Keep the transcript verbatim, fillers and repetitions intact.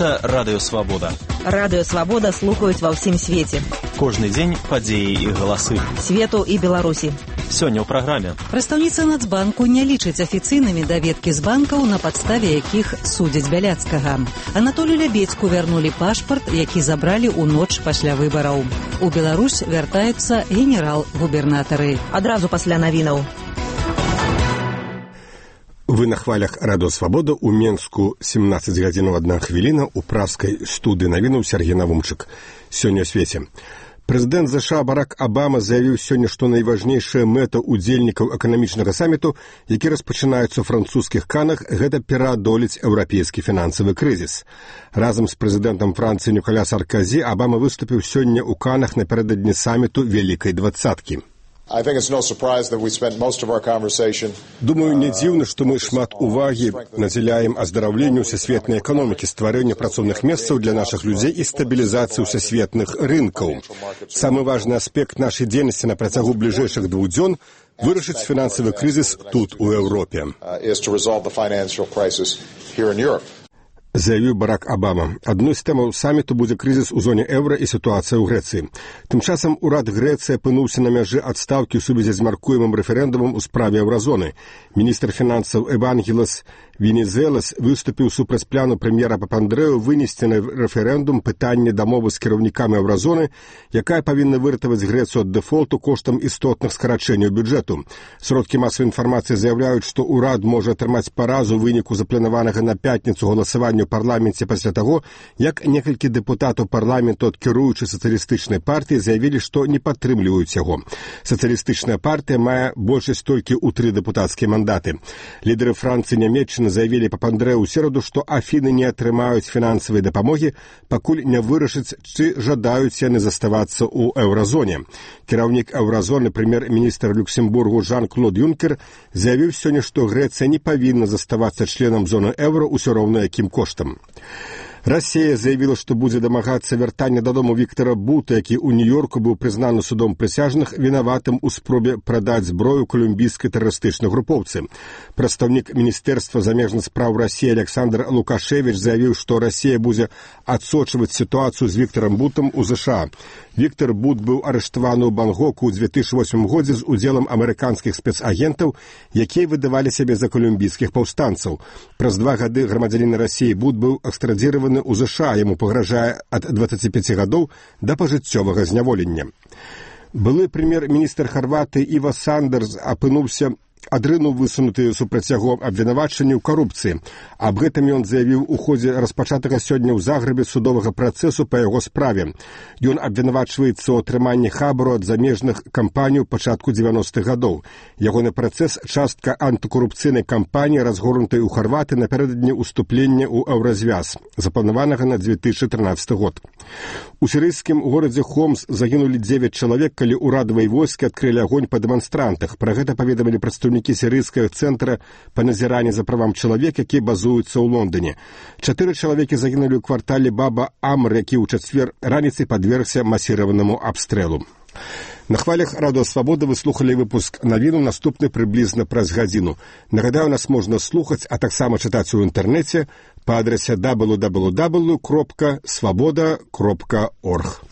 Гэта Радыё Свабода. Радыё Свабода слухаюць ва ўсім свеце. Кожны дзень падзеі і галасы. Свету і Беларусі. Сёння ў праграме. Прадстаўніца Нацбанку не лічыць афіцыйнымі даведкі з банкаў, на падставе якіх судзяць Бяляцкага. Анатолію Лябедзьку вярнулі пашпарт, які забралі ў ноч пасля выбараў. У Беларусь вяртаюцца генерал-губернатары. Адразу пасля навінаў. Вы на хвалях Радыё Свабода. У Менску семнадцаць гадзінаў адна хвіліна. У пражскай студыі навінаў Сергей Навумчык. Сёння ў свеце. Прэзідэнт ЗША Барак Абама заявіў сёння, што найважнейшая мэта ўдзельнікаў эканамічнага саміту, які распачынаецца ў французскіх Канах, гэта пераадолець еўрапейскі фінансавы крызіс. Разам з прэзідэнтам Францыі Ніколя Сарказі Абама выступіў сёння ў Канах напярэдадні саміту Вялікай двадцаткі. Думаю, не дзіўна, што мы шмат увагі надзяляем аздараўленню ўсесветнай эканомікі, стварэнню працоўных месцаў для нашых людзей і стабілізацыі ўсесветных рынкаў. Самы важны аспект нашай дзейнасці на працягу бліжэйшых двух дзён – вырашыць фінансавы крызіс тут, у Еўропе. Заявіў Барак Абама. Адной з тэмаў саміту будзе крызіс у зоне еўра і сітуацыя ў Грэцыі. Тым часам урад Грэцыі апынуўся на мяжы адстаўкі ў сувязі з мяркуемым рэферэндумам у справе еўразоны. Міністр фінансаў Евангелос Венезелас выступіў супраць плану прэм'ера Папандрэу вынесці на рэферэндум пытанне дамовы з кіраўнікамі еўразоны, якая павінна выратаваць Грэцыю ад дэфолту коштам істотных скарачэнняў бюджэту. Сродкі масавай інфармацыі заяўляюць, што ўрад можа атрымаць паразу ў выніку запланаванага на пятніцу галасавання ў парламенце пасля таго, як некалькі дэпутатаў парламенту ад кіруючай сацыялістычнай партыі заявілі, што не падтрымліваюць яго. Сацыялістычная партыя мае большасць толькі ў тры дэпутацкія мандаты. Лідары Францыі і Нямецчыны заявілі Папандрэу ў сераду, што Афіны не атрымаюць фінансавай дапамогі, пакуль не вырашыць, ці жадаюць яны заставацца ў еўразоне. Кіраўнік еўразоны, прэм'ер-міністр Люксембургу Жан-Клод Юнкер заявіў сёння, што Грэцыя не павінна заставацца членам зоны еўра ўсё роўна якім коштам. Расія заявіла, што будзе дамагацца вяртання дадому Віктара Бута, які ў Нью-Йорку быў прызнаны судом прысяжных вінаватым у спробе прадаць зброю калумбійскай тэрарыстычнай групоўцы. Прадстаўнік Міністэрства замежных спраў Расіі Александр Лукашевіч заявіў, што Расія будзе адсочваць сітуацыю з Віктарам Бутам у ЗША. Віктар Бут быў арыштаваны ў Бангоку ў две тысячы восьмым годзе з удзелам амерыканскіх спецагентаў, якія выдавалі сябе за калумбійскіх паўстанцаў. Праз два гады грамадзянін Расіі Бут быў экстрадзіраваны у ЗША, яму пагражае ад дваццаці пяці гадоў да пажыццёвага зняволення. Былы прэм'ер-міністр Харватыі Іва Сандерс апынуўся адрынуў высунутыя супраць яго абвінавачанні ў карупцыі. Аб гэтым ён заявіў у ходзе распачатага сёння ў Загрэбе судовага працэсу па яго справе. Ён абвінавачваецца ў атрыманні хабару ад замежных кампаній у пачатку дзевяностых гадоў. Ягоны працэс – частка антыкарупцыйнай кампаніі, разгорнутай у Харватыі напярэдадні ўступлення ў еўразвяз, запланаванага на две тысячы трынаццаты год. У сірыйскім горадзе Хомс загінулі дзевяць чалавек, калі ўрадавыя войскі адкрылі агонь па дэманстрантах. Пра гэта паведамілі прадстаўнікі сірыйскага цэнтра па назіранні за правам чалавека, які базуецца ў Лондоне. Чатыры чалавекі загінулі ў квартале Баба Амр, які ў чацвер раніцай падвергся масіраванаму абстрэлу. На хвалях Радыё Свабода вы слухалі выпуск навіну, наступны прыблізна праз гадзіну. Нагадаю, нас можна слухаць, а таксама чытаць у інтэрнэце па адрасе дабл ю дабл ю дабл ю кропка свабода кропка орг.